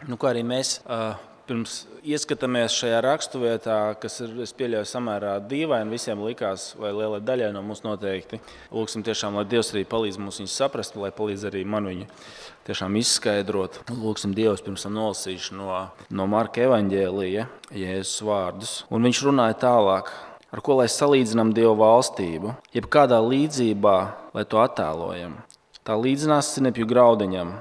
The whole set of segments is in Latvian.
Kā arī mēs pirms ieskatāmies šajā raksturvietā, kas ir, es pieļauju, samērā dīvaini, visiem likās, vai lielai daļai no mums noteikti. Lūksim tiešām, lai Dievs arī palīdz mums viņu saprast, lai palīdz arī man viņu tiešām izskaidrot. Lūksim Dievs pirms tam nolasīšu no Marka evaņģēlija Jēzus vārdus. Un viņš runāja tālāk, ar ko lai salīdzinām Dieva valstību, jeb kādā līdzībā, lai to attēlojam. Tā līdzinās sinepju graudiņam,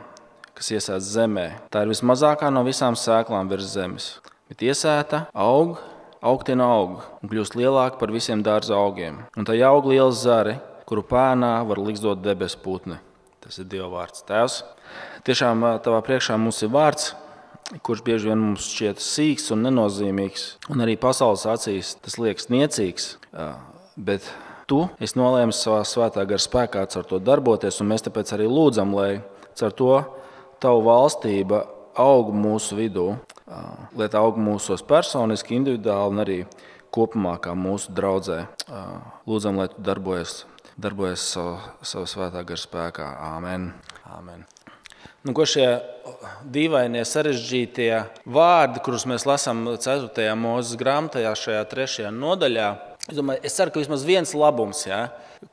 kas iesēts zemē. Tā ir vismazākā no visām sēklām virs zemes. Bet iesēta augtina aug un kļūst lielāka par visiem dārza augiem. Un tā aug liels zari, kuru pēnā var liksdot debesu putni. Tas ir Dieva vārds. Tēvs, tiešām tavā priekšā mums ir vārds, kurš bieži vien mums šķiet sīks un nenozīmīgs. Un arī pasaules acīs tas liekas niecīgs. Bet tu esi nolēmis savā svētā gara spēkā caur to darboties, un mēs tāpēc arī lūdzam, lai caur to tavu valstība aug mūsu vidū, lai tā aug mūsos personiski, individuāli un arī kopumā kā mūsu draudzē. Lūdzam, lai tu darbojies savu svētā gara spēkā. Āmen. Āmen. Ko šie dīvainie sarežģītie vārdi, kurus mēs lasām 4. Mūzes grāmatā, šajā 3. nodaļā, es ceru, ka vismaz viens labums,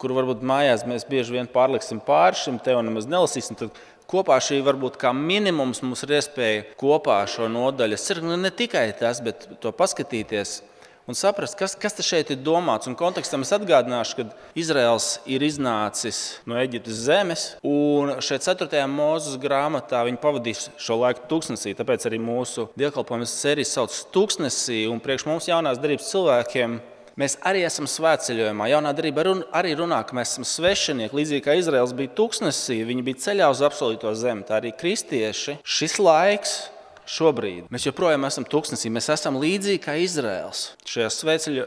kuru varbūt mājās mēs bieži vien pārliksim pāri šim te un nemaz nelasīsim, tad kopā šī varbūt kā minimums mums ir iespēja kopā šo nodaļu. Es ceru, ka ne tikai tas, bet to paskatīties un saprast, kas te šeit ir domāts. Un kontekstam es atgādināšu, ka Izraels ir iznācis no Eģiptes zemes, un šeit 4. Mūzes grāmatā viņi pavadīs šo laiku tūkstnesī, tāpēc arī mūsu dievkalpojumu sērijas sauc tūkstnesī, un priekš mums jaunās derības cilvēkiem mēs arī esam svētceļojumā. Jaunā derība arī runā, ka mēs esam svešinieki. Līdzīgi kā Izraels bija tūkstnesī, viņi bija ceļā uz apsolīto zemi. Tā arī kristieši. Šis laiks šobrīd. Mēs joprojām esam tūkstnesī. Mēs esam līdzīgi kā Izraels. Šajā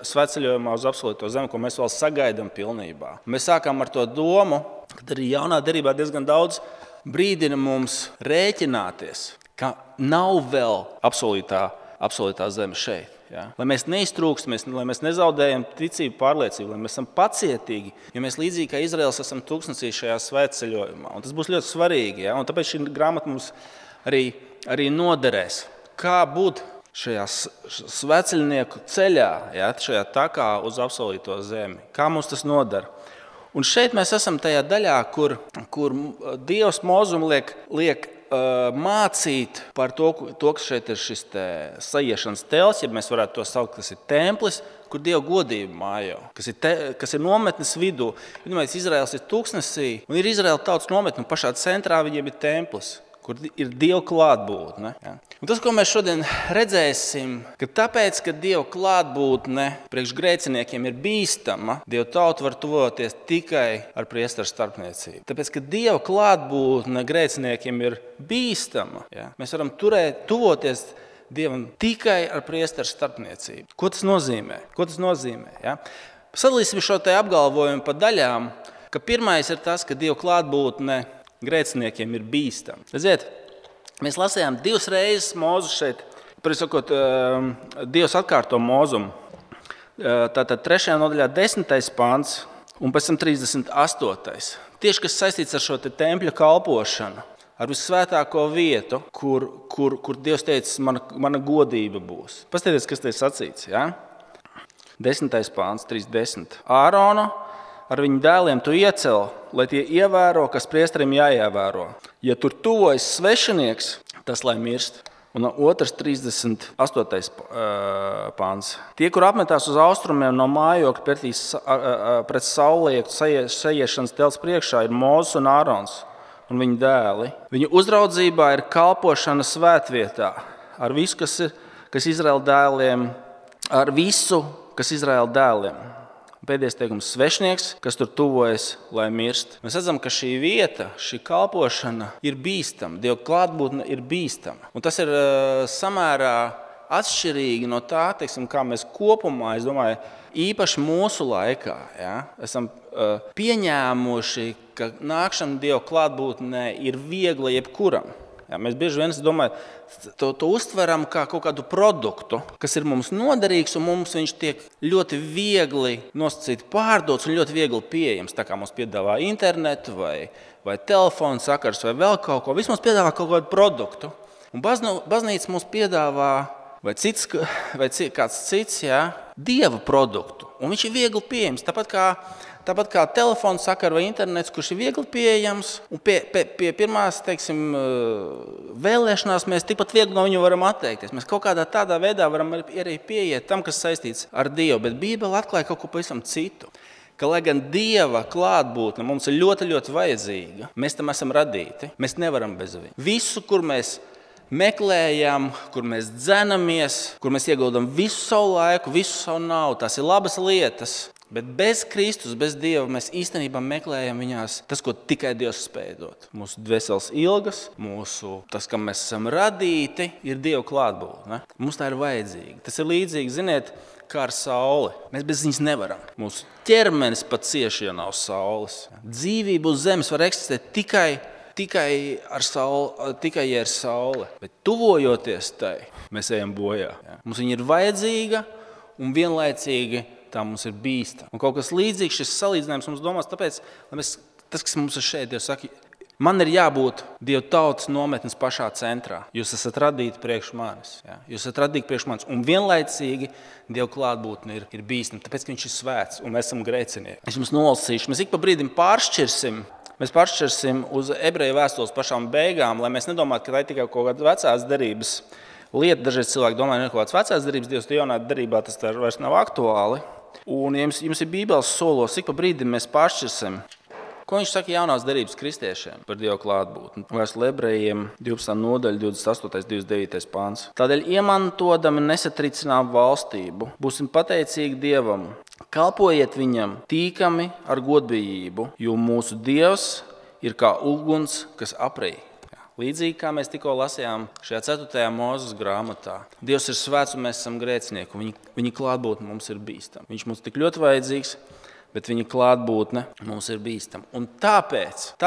svētceļojumā uz apsolīto zemi, ko mēs vēl sagaidām pilnībā. Mēs sākām ar to domu, ka arī jaunā derībā diezgan daudz brīdina mums rēķināties, ka nav vēl apsolītā zeme šeit. Lai mēs neiztrūkstamies, lai mēs nezaudējam ticību, pārliecību, lai mēs esam pacietīgi, jo mēs līdzīgi kā Izraels esam tūkstnesī šajā svētceļojumā. Un tas būs ļoti svarīgi, un tāpēc šī grāmata mums arī noderēs. Kā būt šajā svētceļnieku ceļā, šajā takā uz apsolīto zemi? Kā mums tas nodara? Un šeit mēs esam tajā daļā, kur Dievs Mozum liek mācīt par to, ka šeit ir šis sajiešanas tels, ja mēs varētu to saukt, kas ir templis, kur Dieva godība mājo, kas ir nometnes vidū. Izraels ir tūkstnesī, un ir Izraela tautas nometne, un pašā centrā viņiem ir templis, kur ir Dieva klātbūtne. Un tas, ko mēs šodien redzēsim, ka tāpēc, ka Dieva klātbūtne priekš grēciniekiem ir bīstama, Dieva tauta var tuvoties tikai ar priesteru starpniecību. Tāpēc, ka Dieva klātbūtne grēciniekiem ir bīstama, mēs varam tuvoties Dievam tikai ar priesteru starpniecību. Ko tas nozīmē? Sadalīsim šo te apgalvojumu pa daļām, ka pirmais ir tas, ka Dieva klātbūtne grēciniekiem ir bīstama. Redziet, mēs lasījām 2 reizes Mūzu šeit, sakot, Dievs atkārto Mūzumu. Tātad 3. nodaļā 10. pants un pēc tam 38. Tieši kas saistīts ar šo te tempļa kalpošanu, ar vissvētāko vietu, kur Dievs teica, mana godība būs. Paskatieties, kas te ir sacīts. 10. pants, 3.10. Āronu ar viņu dēliem tu iecel, lai tie ievēro, kas priesterim jāievēro. Ja tur tuvojas svešinieks, tas lai mirst. Un 2.38. pāns. Tie, kur apmetās uz austrumiem no mājokļa pret saulietu sajiešanas tels priekšā, ir Mūzes un Ārons un viņu dēli. Viņu uzraudzībā ir kalpošana svētvietā ar visu, kas Izraēla dēliem, ar visu, kas Izraēla dēliem. Pēdējais teikums - svešnieks, kas tur tuvojas, lai mirst. Mēs redzam, ka šī vieta, šī kalpošana ir bīstama. Dieva klātbūtne ir bīstama. Un tas ir samērā atšķirīgi no tā, kā mēs kopumā, es domāju, īpaši mūsu laikā, esam pieņēmuši, ka nākšana Dieva klātbūtnē ir viegla jebkuram. Mēs bieži vien to uztveram kā kaut kādu produktu, kas ir mums noderīgs, un mums viņš tiek ļoti viegli nosacīti pārdots un ļoti viegli pieejams. Tā kā mums piedāvā internetu vai telefonu sakars vai vēl kaut ko. Viss mums piedāvā kaut kādu produktu. Un baznīca mums piedāvā vai kāds cits, Dieva produktu. Un viņš ir viegli pieejams. Tāpat kā telefons sakara vai internets, kurš ir viegli pieejams. Un pie pirmās, vēlēšanās mēs tikpat viegli no viņu varam atteikties. Mēs kaut kādā tādā veidā varam arī pieiet tam, kas saistīts ar Dievu. Bet Bībele atklāja kaut ko pavisam citu. Ka, lai gan Dieva klātbūtne mums ir ļoti, ļoti vajadzīga, mēs tam esam radīti. Mēs nevaram bez viņa. Visu, kur mēs meklējam, kur mēs dzenamies, kur mēs ieguldam visu savu laiku, visu savu naudu. Tās ir labas lietas, bet bez Kristus, bez Dieva mēs īstenībā meklējam viņās tas, ko tikai Dievs spēj dot. Mūsu dvēseles ilgas, tas, kam mēs esam radīti, ir Dieva klātbūtne. Mums tā ir vajadzīga. Tas ir līdzīgi, ziniet, kā ar sauli. Mēs bez viņas nevaram. Mūsu ķermenis pat cieši, ja nav saules. Dzīvība uz zemes var eksistēt tikai ar sauli. Bet tuvojoties tai, mēs ejam bojā. Mums viņa ir vajadzīga un vienlaicīgi tā mums ir bīstama. Un kaut kas līdzīgs šis salīdzinājums mums domās, tāpēc, tas, kas mums ir šeit, Dievs saka, man ir jābūt Dieva tautas nometnes pašā centrā. Jūs esat radīti priekš manis. Jūs esat radīti priekš manis. Un vienlaicīgi Dieva klātbūtne ir bīstama, tāpēc, ka viņš ir svēts un mēs esam grēcinieki. Es jums nolasīšu, mēs ik pa brīdim pāršķirsim uz ebreju vēstules pašām beigām, lai mēs nedomātu, ka tā ir tikai kaut kāda vecās derības lieta. Dažreiz cilvēki domā, ka kaut kāds vecās derības Dievs, jaunā derībā tas vairs nav aktuāli. Un jums ir Bībeles solos, ik pa brīdim mēs pāršķirsim. Ko viņš saka jaunās derības kristiešiem par Dieva klātbūtni? Vēstule ebrejiem 12. nodaļa, 28. 29. pāns. Tādēļ iemantodami nesatricinām valstību, būsim pateicīgi Dievam. Kalpojiet viņam tīkami ar godbijību, jo mūsu Dievs ir kā uguns, kas aprij. Līdzīgi kā mēs tikko lasījām šajā 4. Mūzes grāmatā. Dievs ir svēts un mēs esam grēcinieki. Viņa klātbūtne mums ir bīstama. Viņš mums tik ļoti vajadzīgs, bet viņa klātbūtne mums ir bīstama. Un tāpēc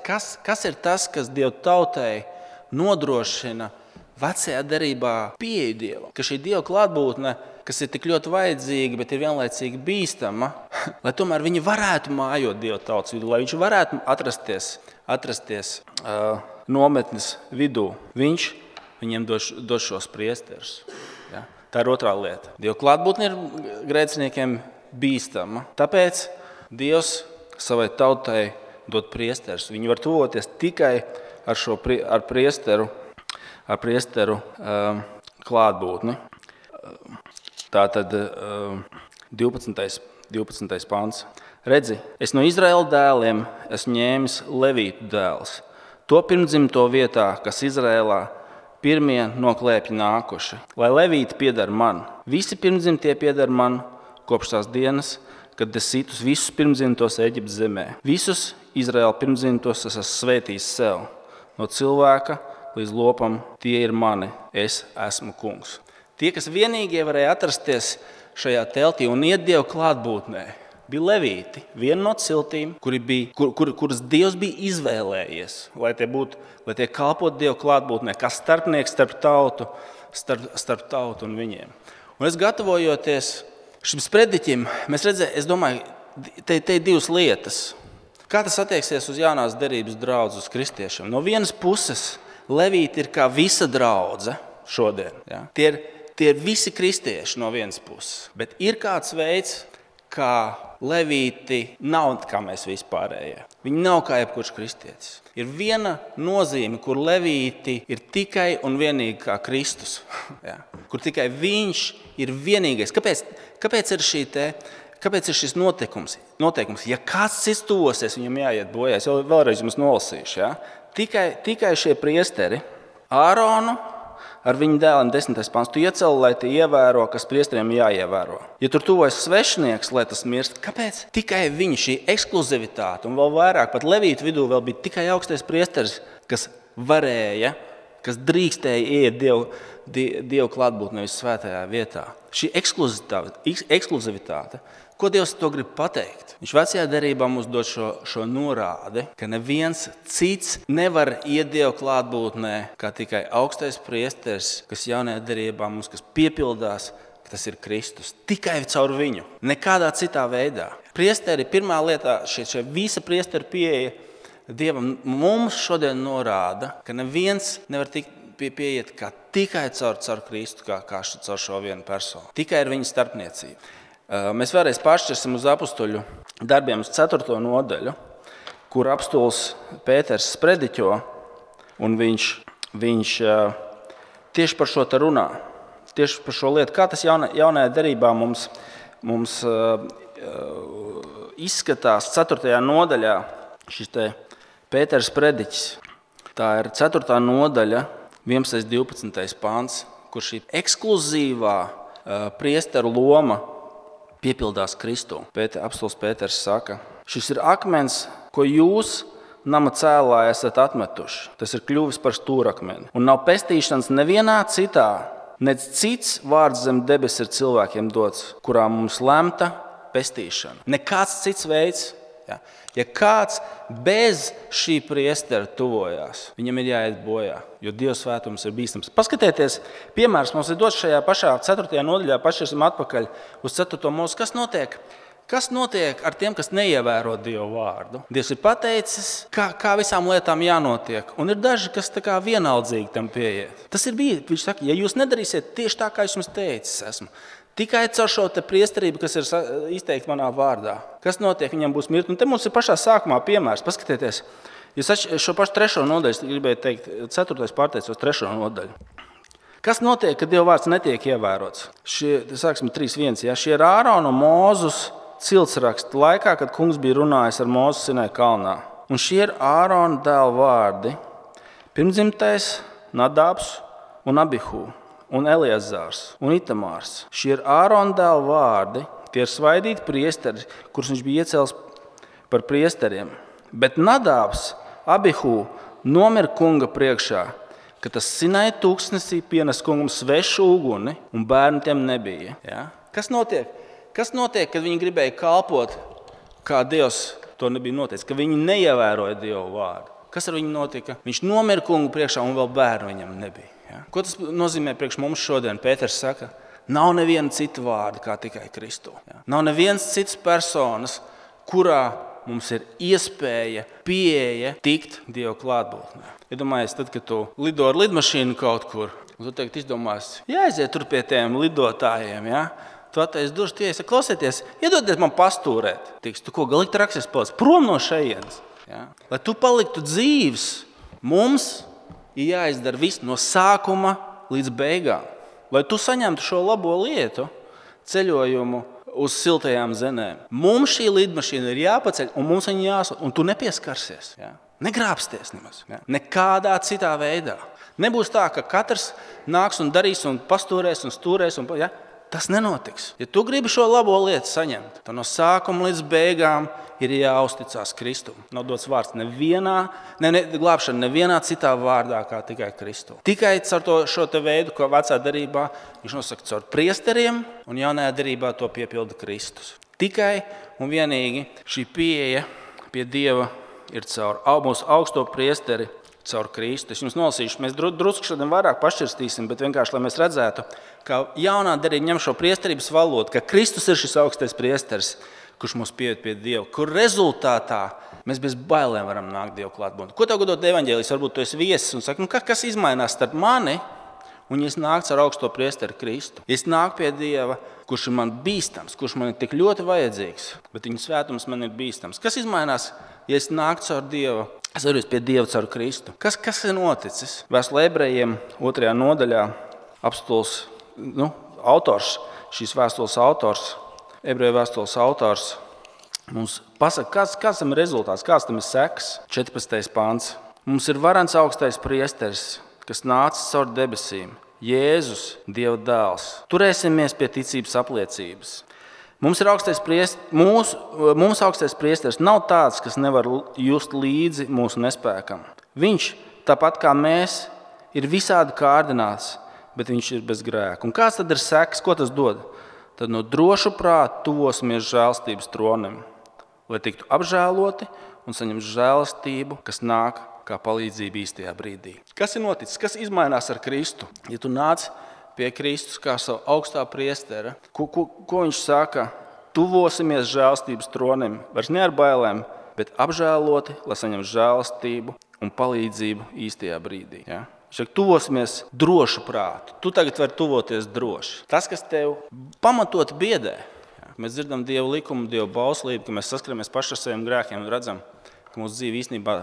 kas ir tas, kas Dieva tautai nodrošina vecajā derībā pieeju Dievam? Ka šī Dieva klātbūtne, kas ir tik ļoti vajadzīga, bet ir vienlaicīgi bīstama, lai tomēr viņi varētu mājot Dieva tautas vidū, lai viņš varētu atrasties nometnes vidū. Viņš viņiem dos šos priesterus. Ja? Tā ir otrā lieta. Dieva klātbūtne ir grēciniekiem bīstama. Tāpēc Dievs savai tautai dod priesterus. Viņi var tuvoties tikai ar priesteru klātbūtni. Tātad 12. pāns. Redzi, es no Izraēla dēliem esmu ņēmis Levītu dēls. To pirmdzimto vietā, kas Izraēlā pirmie no klēpja nākuši. Lai Levīti pieder man. Visi pirmdzimtie pieder man kopš tās dienas, kad es situs visus pirmdzimtos Eģiptes zemē. Visus Izraēla pirmdzimtos es esmu svētījis sev. No cilvēka līdz lopam tie ir mani. Es esmu kungs. Tie, kas vienīgie varēja atrasties šajā teltī un iet Dieva klātbūtnē, bija Levīti, viena no ciltīm, kuras Dievs bija izvēlējies, lai tie kalpotu Dieva klātbūtnē, kā starpnieks starp tautu un viņiem. Un es gatavojoties šim sprediķim, es domāju, te ir divas lietas. Kā tas attieksies uz jaunās derības draudzi, uz kristiešiem? No vienas puses, Levīti ir kā visa draudze šodien. Ja? Tie ir visi kristieši no vienas puses, bet ir kāds veids, kā Levīti nav kā mēs vispārējie. Viņi nav kā jebkurš kristietis. Ir viena nozīme, kur Levīti ir tikai un vienīgi kā Kristus. Ja? Kur tikai viņš ir vienīgais. Kāpēc ir šis noteikums? Ja kāds cits tuvosies, viņam jāiet bojā. Es vēlreiz jums nolasīšu. Ja? Tikai šie priesteri, Āronu, ar viņu dēliem 10. pāns, tu ieceli, lai tie ievēro, kas priesteriem jāievēro. Ja tur tuvojas svešinieks, lai tas mirst, kāpēc? Tikai viņi, šī ekskluzivitāte, un vēl vairāk, pat Levītu vidū vēl bija tikai augstais priesteris, kas drīkstēja ieiet Dievu klātbūtnē svētajā vietā. Šī ekskluzivitāte, ko Dievs to grib pateikt? Viņš vecajā derībā mums dod šo norādi, ka neviens cits nevar iet Dieva klātbūtnē, kā tikai augstais priesteris, kas jaunajā derībā mums, kas piepildās, ka tas ir Kristus. Tikai caur viņu, nekādā citā veidā. Priesteri pirmā lietā, šie visa priesteri pieeja Dievam mums šodien norāda, ka neviens nevar tikt pieiet kā tikai caur Kristu, kā caur šo vienu personu. Tikai ar viņa starpniecību. Mēs vēlreiz pāršķirsim uz apustuļu darbiem uz 4. nodaļu, kur apustulis Pēters sprediķo, un viņš tieši par šo te runā. Tieši par šo lietu, kā tas jaunajā derībā mums izskatās 4. nodaļā šis te Pēters sprediķis. Tā ir 4. nodaļa, 11. 12. pāns, kur šī ekskluzīvā priesteru loma piepildās Kristū. Apustulis Pēters saka, šis ir akmens, ko jūs nama cēlā esat atmetuši. Tas ir kļuvis par stūrakmeni. Un nav pestīšanas nevienā citā, nec cits vārds zem debes ir cilvēkiem dots, kurā mums lemta pestīšana. Nekāds cits veids. Ja? Ja kāds bez šī priestera tuvojās, viņam ir jāiet bojā, jo Dieva svētums ir bīstams. Paskatieties, piemērs mums ir dots šajā pašā 4. nodaļā, pašķirsim atpakaļ uz 4. mūsu. Kas notiek? Kas notiek ar tiem, kas neievēro Dieva vārdu? Dievs ir pateicis, kā visām lietām jānotiek, un ir daži, kas tā kā vienaldzīgi tam pieiet. Tas ir bijis, viņš saka, ja jūs nedarīsiet tieši tā, kā es jums teicis esmu, tikai caur šo priesterību, kas ir izteikta manā vārdā. Kas notiek? Viņam būs mirkli. Un te mums ir pašā sākumā piemērs. Paskatieties, jūs šo pašu 3. nodaļu, gribēju teikt, 4. pārteicos 3. nodaļu. Kas notiek, kad Dieva vārds netiek ievērots? Sāksim 3.1. Ja? Šie ir Ārona un Mūzus ciltsraksti laikā, kad kungs bija runājis ar Mūzu Sinai kalnā. Un šie ir Ārona dēlu vārdi. Pirmdzimtais Nadabs un Abihu. Un Eliezārs un Itamārs. Šie ir Ārona dēlu vārdi, tie ir svaidīti priesteri, kurus viņš bija iecēlis par priesteriem. Bet Nadabs, Abihu nomira kunga priekšā, ka tas Sinai tūkstnesī pienes kungam svešu uguni, un bērnu tiem nebija. Ja? Kas notiek? Kas notiek, kad viņi gribēja kalpot, kā Dievs to nebija noteicis, ka viņi neievēroja Dieva vārdu? Kas ar viņu notika? Viņš nomira kunga priekšā, un vēl bērnu viņam nebija. Ja? Ko tas nozīmē priekš mums šodien? Pēters saka, nav neviena cita vārda kā tikai Kristu. Ja? Nav nevienas citas personas, kurā mums ir iespēja, pieeja tikt Dieva klātbūtnē. Iedomājies, tad, kad tu lido ar lidmašīnu kaut kur, un tu tagad izdomās, jāaiziet tur pie tiem lidotājiem, ja? Tu attaisi durvis, tie saka, klausieties, iedodiet man pastūrēt. Tiks, tu ko galīgi traksies paliec prom no šejienes. Ja? Lai tu paliktu dzīvs, mums ir jāizdara viss no sākuma līdz beigām. Lai tu saņemtu šo labo lietu, ceļojumu uz siltajām zemēm. Mums šī lidmašīna ir jāpaceļ, un mums viņa jāsūt, un tu nepieskarsies. Ja? Negrābsties nemaz. Ja? Nekādā citā veidā. Nebūs tā, ka katrs nāks un darīs un pastūrēs un stūrēs. Ja? Tas nenotiks. Ja tu gribi šo labo lietu saņemt, tad no sākuma līdz beigām ir jāuzticās Kristum. Nav dots vārds glābšana nevienā citā vārdā kā tikai Kristu. Tikai caur šo te veidu, ko vecā derībā viņš nosaka caur priesteriem, un jaunajā derībā to piepilda Kristus. Tikai un vienīgi šī pieeja pie Dieva ir caur mūsu augsto priesteri, caur Kristu. Es jums nolasīšu, mēs drusku šodien vairāk pašķirstīsim, bet vienkārši, lai mēs redzētu, ka jaunā derība ņem šo priesterības valodu, ka Kristus ir šis augstais priesteris, kurš mūs pieiet pie Dieva, kur rezultātā mēs bez bailēm varam nākt Dieva klātbūtnē. Ko tev godot evaņģēlijs? Varbūt tu esi viesis un saki, kas izmainās starp mani un ja es nāku ar augsto priesteri Kristu? Ja es nāku pie Dieva, kurš ir man bīstams, kurš man ir tik ļoti vajadzīgs, bet viņa svētums man ir bīstams. Kas izmainās, ja es nāku caur Dievu? Es varu pie Dieva caur Kristu. Kas ir noticis? Vēstulē Ebrejiem 2. nodaļā apostols, autors, šīs vēstules autors, Ebreju vēstules autors mums pasaka, kāds tam ir rezultāts, kāds tam ir seks. 14. pāns. Mums ir varens augstais priesteris, kas nācis caur debesīm, Jēzus, Dieva dēls. Turēsimies pie ticības apliecības. Mums augstais priesteris nav tāds, kas nevar just līdzi mūsu nespēkam. Viņš, tāpat kā mēs, ir visādi kārdināts, bet viņš ir bez grēka. Un kāds tad ir seks? Ko tas dod? Tad no drošu prātu tuvosimies žēlstības tronim, lai tiktu apžēloti un saņemt žēlastību, kas nāk kā palīdzība īstajā brīdī. Kas ir noticis? Kas izmainās ar Kristu? Ja tu nāc pie Kristus kā savu augstā priestera, ko viņš saka? Tuvosimies žēlastības tronim, vairs ne ar bailēm, bet apžēloti, lai saņemtu žēlastību un palīdzību īstajā brīdī. Ja? Viņš saka, tuvosimies drošu prātu. Tu tagad vari tuvoties droši. Tas, kas tev pamatot biedē. Mēs dzirdam Dieva likumu, Dieva bauslību, ka mēs saskaramies paši ar saviem grēkiem un redzam, ka mūsu dzīve īstenībā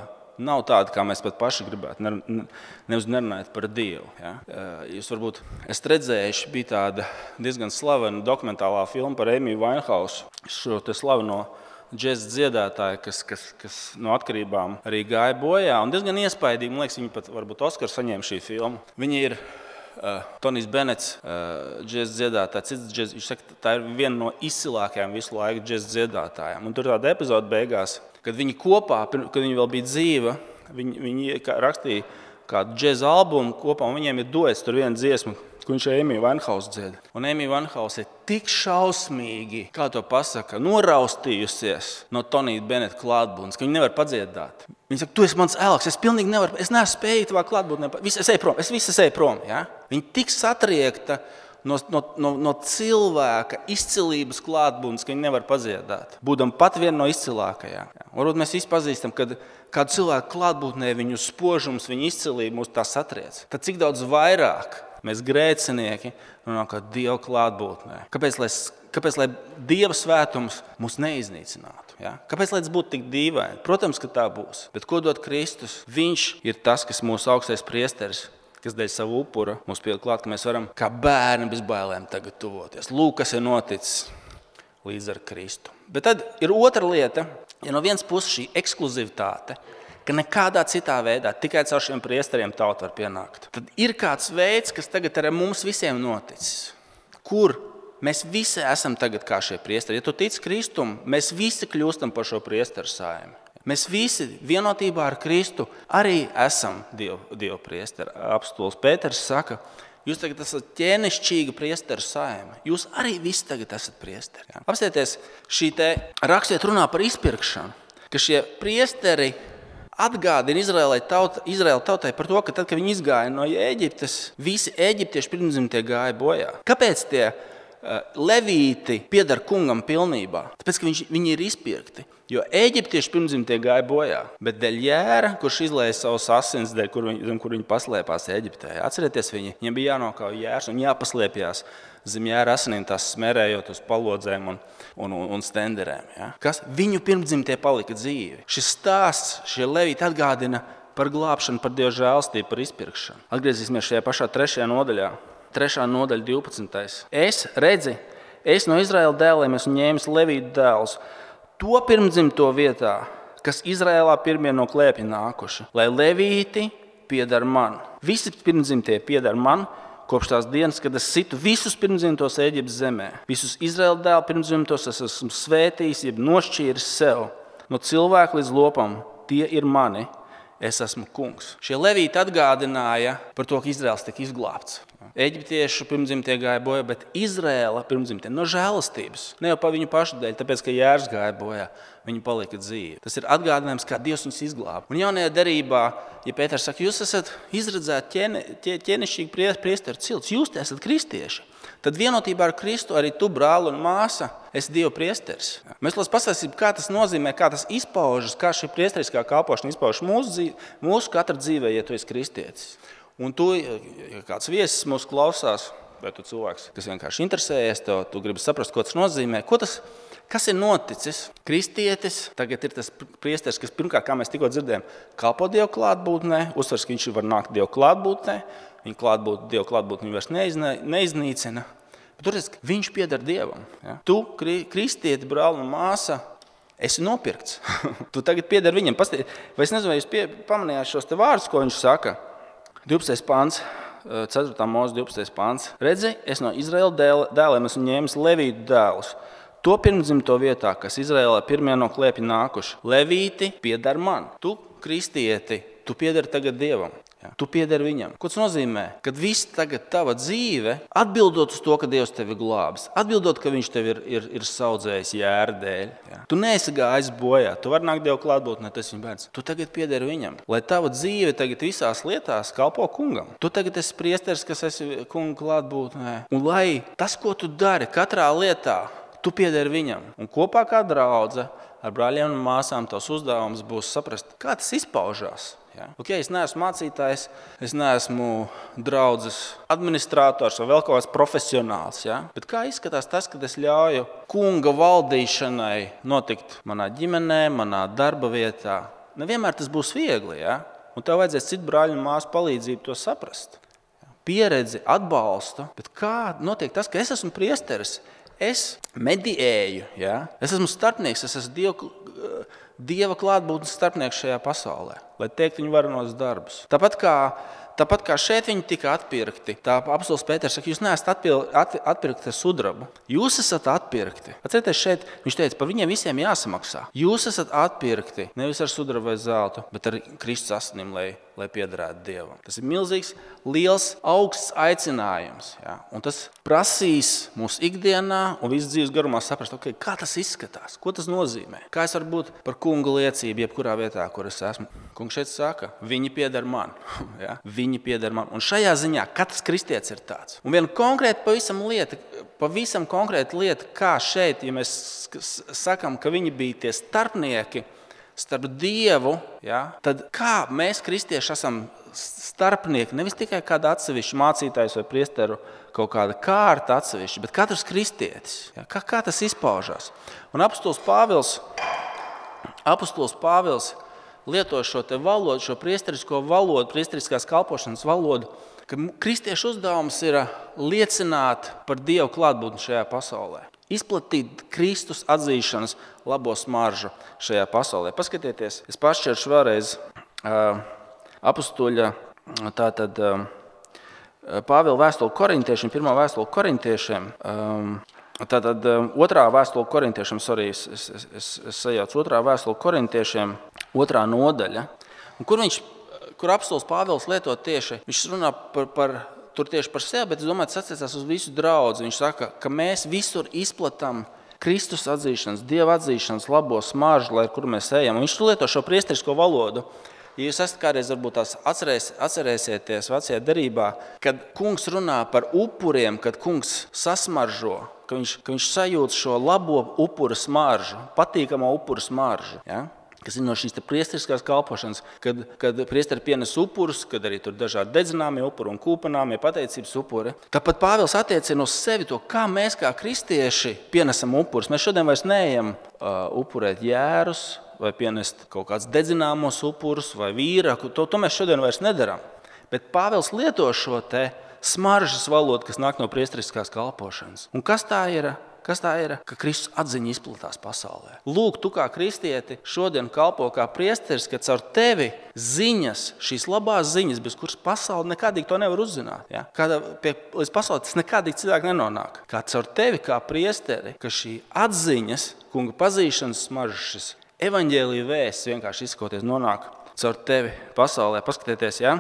nav tāda, kā mēs pat paši gribētu. Nevis nerunājot par Dievu. Ja? Jūs varbūt esat redzējuši, bija tāda diezgan slavena dokumentālā filma par Amy Winehouse. Šo te slaveno džēza dziedātāju, kas no atkarībām arī gāja bojā. Un diezgan iespaidīgi, man liekas, viņi pat varbūt Oskaru saņēma šī filma. Viņi ir Tonijs Benets, džēza dziedātājs. Viņš saka, tā ir viena no izcilākajām visu laiku džēza dziedātājām. Un tur tāda epizode beigās, kad viņi kopā, kad viņi vēl bija dzīva, viņi rakstīja kādu džēza albumu kopā, un viņiem ir duets tur viena dziesma, ko viņš ar Amy Winehouse dzied. Un Amy Winehouse ir tik šausmīgi, kā to pasaka, noraustījusies no Tonija Beneta klātbūtnes, ka viņi nevar padziedāt. Viņa saka, tu esi mans elks, es pilnīgi nevaru, es neesmu spējīgi tavā klātbūtnē, es visu eju prom. Ja? Viņa tik satriekta no cilvēka izcilības klātbūtnes, ka viņi nevar padziedāt. Būdam pat viena no izcilākajām. Ja? Varbūt mēs visi pazīstam, kad kādu cilvēku klātbūtnē viņu spožums, viņu izcilība mūs tā satriec. Tad cik daudz vairāk mēs grēcinieki nonākam Dieva klātbūtnē. Kāpēc lai Dieva svētums mūs neiznīcinātu? Ja? Kāpēc lai tas būtu tik dīvaini? Protams, ka tā būs. Bet ko dod Kristus? Viņš ir tas, kas mūsu augstais priesteris, kas dēļ savu upura mums pieliek klāt, ka mēs varam kā bērni bez bailēm tagad tuvoties. Lūk, kas ir noticis līdz ar Kristu. Bet tad ir otra lieta, ja no vienas puses šī ekskluzivitāte, ka nekādā citā veidā, tikai caur šiem priesteriem tauta var pienākt. Tad ir kāds veids, kas tagad ar mums visiem noticis, kur mēs visi esam tagad kā šie priesteri. Ja tu tici Kristum, mēs visi kļūstam par šo priesteru saimi. Mēs visi vienotībā ar Kristu arī esam Dieva priesteri. Apostols Pēters saka, jūs tagad esat ķēnišķīga priesteru saime. Jūs arī visi tagad esat priesteri. Ja? Apstieties, šī te rakstiet runā par izpirkšanu, ka šie priesteri atgādina Izraēla tautai par to, ka tad, kad viņi izgāja no Ēģiptes, visi eģiptieši pirmdzimtie gāja bojā. Kāpēc tie levīti pieder kungam pilnībā? Tāpēc, ka viņi ir izpirkti. Jo eģiptieši pirmdzimtie gāja bojā, bet dēļ Jēra, kurš izlēja savus asins, dēļ, kur viņi paslēpās Eģiptē. Atcerieties, viņiem bija jānokauj Jērs un jāpaslēpjās zem Jēra asinīm, tās smērējot uz palodzēm un stenderēm. Ja? Kas? Viņu pirmdzimtie palika dzīvi. Šis stāsts, šie levīti atgādina par glābšanu, par Dieva žēlstību, par izpirkšanu. Atgriezīsimies šajā pašā 3. nodaļā. 3. nodaļa 12. Es no Izraēla dēliem esmu ņēmis levītu dēlus, to pirmdzimto vietā, kas Izraēlā pirmie no klēpja nākuši, lai levīti pieder man. Visi pirmdzimtie pieder man, kopš tās dienas, kad es situ visus pirmdzimtos Ēģiptes zemē. Visus Izraēla dēlu pirmdzimtos es esmu svētījis, jeb nošķīris sev. No cilvēka līdz lopam, tie ir mani, es esmu kungs. Šie levīti atgādināja par to, ka Izraēls tika izglābts. Eģiptiešu pirmdzimtie gāja bojā, bet Izraēla pirmdzimtie no žēlastības. Ne jau pa viņu pašu dēļ, tāpēc, ka Jērs gāja bojā, viņi palika dzīvi. Tas ir atgādinājums, kā Dievs viņus izglāba. Un jaunajā derībā, ja Pēters saka, jūs esat izredzēti ķēnišķīgi priesteri cilts, jūs te esat kristieši, tad vienotībā ar Kristu arī tu, brāli un māsa, esi Dieva priesteris. Mēs pastāstīsim, kā tas nozīmē, kā tas izpaužas, kā šī priesteriskā kalpošana izpaužas mūsu katra dzīvē, ja tu esi kristietis. Un tu, ja kāds viesis mūs klausās, vai tu cilvēks, kas vienkārši interesējies, tu gribi saprast, ko tas nozīmē, kas ir noticis. Kristietis tagad ir tas priesteris, kas pirmkārt, kā mēs tikko dzirdējām, kalpo Dieva klātbūtnē, uzsvers, ka viņš var nākt Dieva klātbūtnē, Dieva klātbūtne viņu vairs neiznīcina. Bet tur viņš pieder Dievam. Ja? Tu, kristieti, brāli un māsa, esi nopirkts. Tu tagad pieder viņam. Vai es nezinu, vai jūs pamanījāt šos te vārdus, ko viņš saka? 12. pāns, 4. mūzes 12. pāns. Redzi, es no Izraēla dēliem esmu ņēmis levītu dēlus. To pirmdzimto vietā, kas Izraēlā pirmie no klēpja nākuši. Levīti pieder man. Tu, kristieti, tu piederi tagad Dievam. Ja? Tu piederi viņam. Ko tas nozīmē? Kad viss tagad tava dzīve, atbildot uz to, ka Dievs tevi glābs, atbildot, ka viņš tevi ir saudzējis Jēra dēļ. Ja? Tu neesi gājis bojā, tu vari nākt Dieva klātbūtnē, tas viņa bērns. Tu tagad piederi viņam. Lai tava dzīve tagad visās lietās kalpo kungam. Tu tagad esi priesteris, kas esi kunga klātbūtnē. Un lai tas, ko tu dari katrā lietā, tu piederi viņam. Un kopā kā draudze ar brāļiem un māsām tavs uzdevums būs saprast, kā tas izpaužās. Ja? Ok, es neesmu mācītājs, es neesmu draudzes administrators vai vēl kaut kāds profesionāls. Ja? Bet kā izskatās tas, kad es ļauju kunga valdīšanai notikt manā ģimenē, manā darba vietā? Nevienmēr tas būs viegli, ja? Un tev vajadzēs citu brāļu un māsu palīdzību to saprast. Pieredzi, atbalstu, bet kā notiek tas, ka es esmu priesteris, es mediēju, ja? Es esmu starpnieks, es esmu Dieva klātbūtnes starpnieks šajā pasaulē, lai teikt viņu varenos darbus. Tāpat kā šeit viņi tika atpirkti, tā apostols Pēters saka, jūs neesat atpirkti ar sudrabu, jūs esat atpirkti. Atcerieties šeit, viņš teica, par viņiem visiem jāsamaksā. Jūs esat atpirkti nevis ar sudrabu vai zeltu, bet ar Kristus asinim, lai piederētu Dievam. Tas ir milzīgs, liels, augsts aicinājums. Ja? Un tas prasīs mūsu ikdienā un visu dzīves garumā saprast, okay, kā tas izskatās, ko tas nozīmē. Kā es varu būt par kunga liecību, jebkurā vietā, kur es esmu. Kungs šeit saka, viņi pieder man. Ja? Viņi pieder man. Un šajā ziņā katrs kristietis ir tāds. Un viena konkrēta pavisam konkrēta lieta, kā šeit, ja mēs sakam, ka viņi bija tie starpnieki, starp Dievu, ja, tad kā mēs, kristieši, esam starpnieki, nevis tikai kāda atsevišķa mācītājs vai priesteru kaut kāda kārta atsevišķa, bet katrs kristietis. Ja, kā tas izpaužās? Un apostols Pāvils lieto šo te valodu, šo priesterisko valodu, priesteriskās kalpošanas valodu, ka kristiešu uzdevums ir liecināt par Dievu klātbūtni šajā pasaulē. Izplatīt Kristus atzīšanas labo smaržu šajā pasaulē. Paskatieties, es pašķiršu vēlreiz apostoļa Pāvila vēstuli korintiešiem, pirmā vēstuli korintiešiem, tātad otrā vēstuli korintiešiem, es sajaucu otrā vēstuli korintiešiem, 2. nodaļa, un kur apostols Pāvils lieto tieši, viņš runā tur tieši par sevi, bet es domāju, tas attiecās uz visu draudzi. Viņš saka, ka mēs visur izplatām Kristus atzīšanas, Dieva atzīšanas labo smaržu, lai kur mēs ejam. Un viņš lieto šo priesterisko valodu. Ja jūs esat kādreiz varbūt tās atcerēsieties vecajā derībā, kad kungs runā par upuriem, kad kungs sasmaržo, ka viņš sajūt šo labo upura smaržu, patīkamo upura smaržu. Ja? Kas ir no šīs priesteriskās kalpošanas, kad priesteri pienes upurus, kad arī tur dažādi dedzināmie upuri un kūpināmie pateicības upuri. Tāpat Pāvils attiecina uz sevi to, kā mēs kā kristieši pienesam upurus. Mēs šodien vairs neejam upurēt jērus vai pienest kaut kādus dedzināmos upurus vai vīraku. To mēs šodien vairs nedaram. Bet Pāvils lieto šo te smaržas valodu, kas nāk no priesteriskās kalpošanas. Un kas tā ir? Ka Kristus atziņa izplatās pasaulē. Lūk, tu kā kristieti šodien kalpo kā priesteris, ka caur tevi ziņas, šīs labās ziņas, bez kuras pasaule nekādīgi to nevar uzzināt. Ja? Līdz pasaulē tas nekādīgi cilvēki nenonāk. Kā caur tevi kā priesteri, ka šī atziņas, kunga pazīšanas smaržas, šis evaņģēlija vēsts vienkārši izsakoties nonāk caur tevi pasaulē. Paskatieties, ja?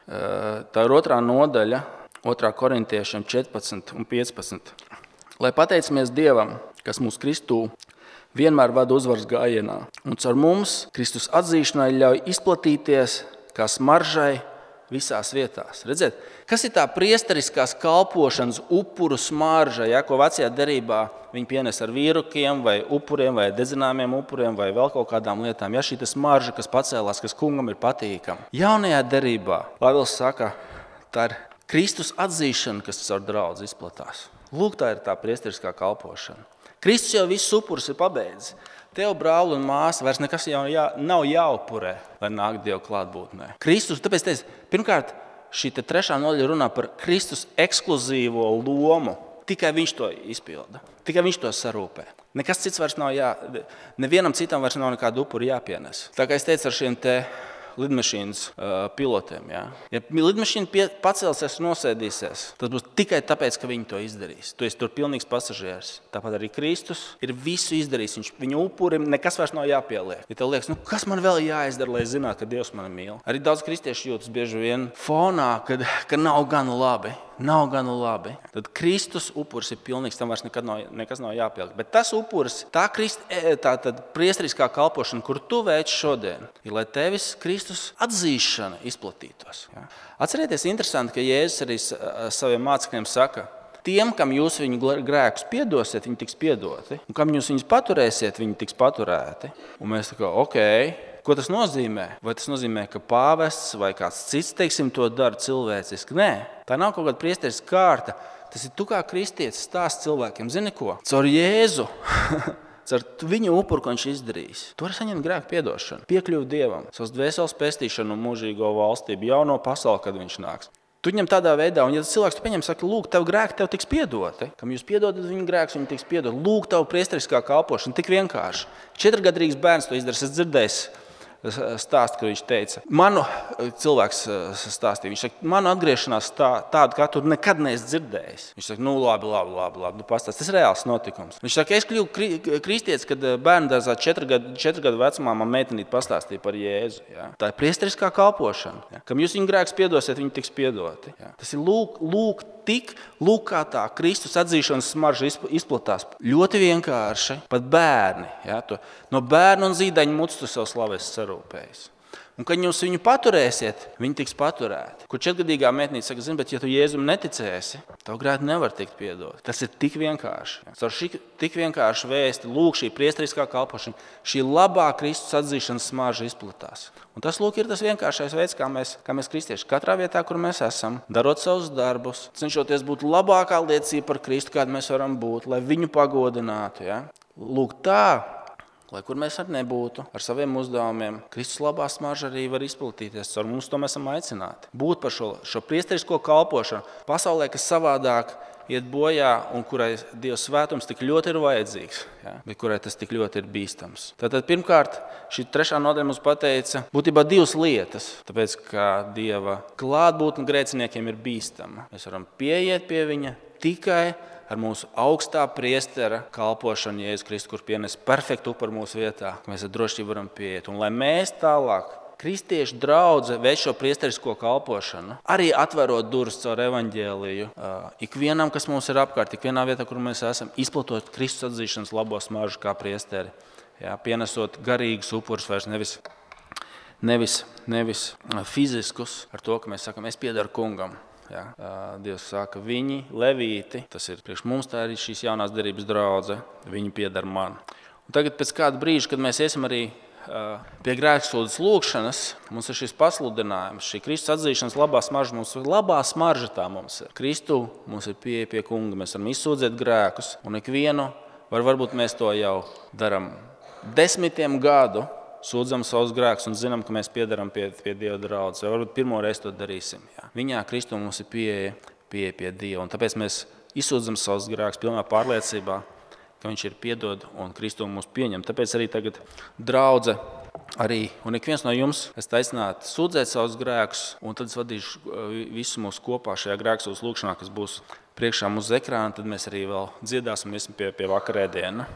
Tā ir 2. nodaļa, 2. korintiešiem 14 un 15. Lai pateicamies Dievam, kas mūs Kristū vienmēr vada uzvaras gājienā, un caur mums Kristus atzīšanai ļauj izplatīties kā smaržai visās vietās. Redziet, kas ir tā priesteriskās kalpošanas upuru smarža, ja, ko vecajā derībā viņi pienes ar vīrukiem vai upuriem vai dedzināmiem upuriem vai vēl kaut kādām lietām. Ja, šī smarža, kas pacēlās, kas kungam ir patīkama. Jaunajā derībā Pāvils saka, tā ir Kristus atzīšana, kas caur draudzi izplatās. Lūk, tā ir tā priesteriskā kalpošana. Kristus jau visus upurus ir pabeidzis. Tev, brāli un māsa, vairs nekas jau nav jāupurē, lai nāk Dieva klātbūtnē. Kristus, tāpēc teicu, pirmkārt, šī 3. nodaļa runā par Kristus ekskluzīvo lomu. Tikai viņš to izpilda. Tikai viņš to sarūpē. Nekas cits vairs nav nevienam citam vairs nav nekādu upuru jāpienes. Tā kā es teicu ar šiem te lidmašīnas pilotiem. Ja lidmašīna pacelsies un nosēdīsies, tas būs tikai tāpēc, ka viņi to izdarīs. Tu esi tur pilnīgs pasažieris. Tāpat arī Kristus ir visu izdarījis. Viņu upurim nekas vairs nav jāpieliek. Ja tev liekas, kas man vēl jāizdara, lai zinātu, ka Dievs mani mīl? Arī daudz kristiešu jūtas bieži vien fonā, ka nav gana labi. Tad Kristus upuris ir pilnīgs, tam vairs nekas nav jāpieliek. Bet tas upuris, tā priesteriskā kalpošana, kur tu veic šodien, ir, lai tevis Kristus atzīšana izplatītos. Ja? Atcerieties, interesanti, ka Jēzus arī saviem mācekļiem saka, tiem, kam jūs viņu grēkus piedosiet, viņi tiks piedoti, un kam jūs viņus paturēsiet, viņi tiks paturēti. Un mēs tā kā, Ko tas nozīmē? Vai tas nozīmē, ka pāvests vai kāds cits, to dara cilvēciski? Nē, tā nav kaut kāda priesteris kārta. Tas ir tu kā kristietis stāsts cilvēkiem. Zini ko? Caur Jēzu, caur viņu upuru, ko viņš izdarījis. Tu vari saņemt grēku piedošanu, piekļuvu Dievam, savas dvēseles pestīšanu un mūžīgo valstību, jauno pasauli, kad viņš nāks. Tu viņam tādā veidā, un ja cilvēks tu pieņem, saka, lūk, tev grēki tev tiks piedoti. Kam jūs piedodat viņu grēkus, viņu tiks piedot. Lūk, tev priesteriskā kalpošana, tik vienkārši. 4-gadīgs bērns to izdarīs, es dzirdēju stāstu, ka viņš teica, manu cilvēks stāstīja, viņš saka, manu atgriešanās tādu, kā tu nekad neesi dzirdējis. Viņš saka, nu labi, pastāst, tas ir reāls notikums. Viņš saka, es kļuvu kristietis, kad bērndārzā 4 gadu vecumā man meitenīte pastāstīja par Jēzu. Ja? Tā ir priesteriskā kalpošana. Ja? Kam jūs viņu grēkus piedosiet, viņi tiks piedoti. Ja? Tas ir lūk kā tā Kristus atzīšanas smarža izplatās. Ļoti vienkārši, pat bērni. Ja? No bērna un zīdaiņa muts tu sev slavēs sarūpējis. Un, kad jūs viņu paturēsiet, viņi tiks paturēti. Kur 4-gadīgā meitnīte saka, zini, bet ja tu Jēzum neticēsi, tavu grēku nevar tikt piedot. Tas ir tik vienkārši. Ar šī tik vienkārši vēsti, lūk, šī priesteriskā kalpošana, šī labā Kristus atzīšanas smarža izplatās. Un tas, lūk, ir tas vienkāršais veids, kā mēs kristieši katrā vietā, kur mēs esam, darot savus darbus, cenšoties būt labākā liecība par Kristu, kāda mēs varam būt, lai viņu pagodinātu. Ja? Lūk, tā. Lai kur mēs arī nebūtu ar saviem uzdevumiem, Kristus labā smarža arī var izplatīties. Ar mums to mēs esam aicināti. Būt par šo priesterisko kalpošanu pasaulē, kas savādāk iet bojā un kurai Dieva svētums tik ļoti ir vajadzīgs, ja? Bet kurai tas tik ļoti ir bīstams. Tātad pirmkārt, šī 3. nodaļa mums pateica būtībā 2 lietas, tāpēc, ka Dieva klātbūtne grēciniekiem ir bīstama. Mēs varam pieiet pie viņa tikai ar mūsu augstā priestera kalpošanu Jēzus Kristus, kur pienes perfektu upuru mūsu vietā, ka mēs ar drošību varam pieiet. Un lai mēs tālāk, kristiešu draudze, veic šo priesterisko kalpošanu, arī atverot durvis caur evaņģēliju, ikvienam, kas mums ir apkārt, ikvienā vietā, kur mēs esam, izplatot Kristus atzīšanas labo smaržu kā priesteri, ja, pienesot garīgus upurus vairs nevis fiziskus, ar to, ka mēs sakam, es piedaru kungam. Ja, Dievs saka, viņi, levīti, tas ir priekš mums, tā ir šīs jaunās derības draudze, viņi piedar man. Un tagad pēc kāda brīža, kad mēs iesim arī pie grēksūdzes lūgšanas, mums ir šis pasludinājums, šī Kristus atzīšanas labā smarža, mums ir labā smarža tā mums ir. Kristu mums ir pieeja pie kunga, mēs varam izsūdzēt grēkus, un ikvienu, varbūt mēs to jau daram 10 gadu, sūdzam savus grēkus un zinām, ka mēs piedaram pie Dieva draudzes. Vai varbūt pirmo reizi to darīsim. Jā. Viņā Kristu mums ir pieeja pie Dieva. Un tāpēc mēs izsūdzam savus grēkus pilnā pārliecībā, ka viņš ir piedod un Kristu mūs pieņem. Tāpēc arī tagad draudze arī, un ik viens no jums esat aicināti sūdzēt savus grēkus, un tad es vadīšu visu mūsu kopā šajā grēksūdzes lūgšanā, kas būs priekšā mūsu ekrāna, tad mēs arī vēl dziedāsim pie vakarēdiena.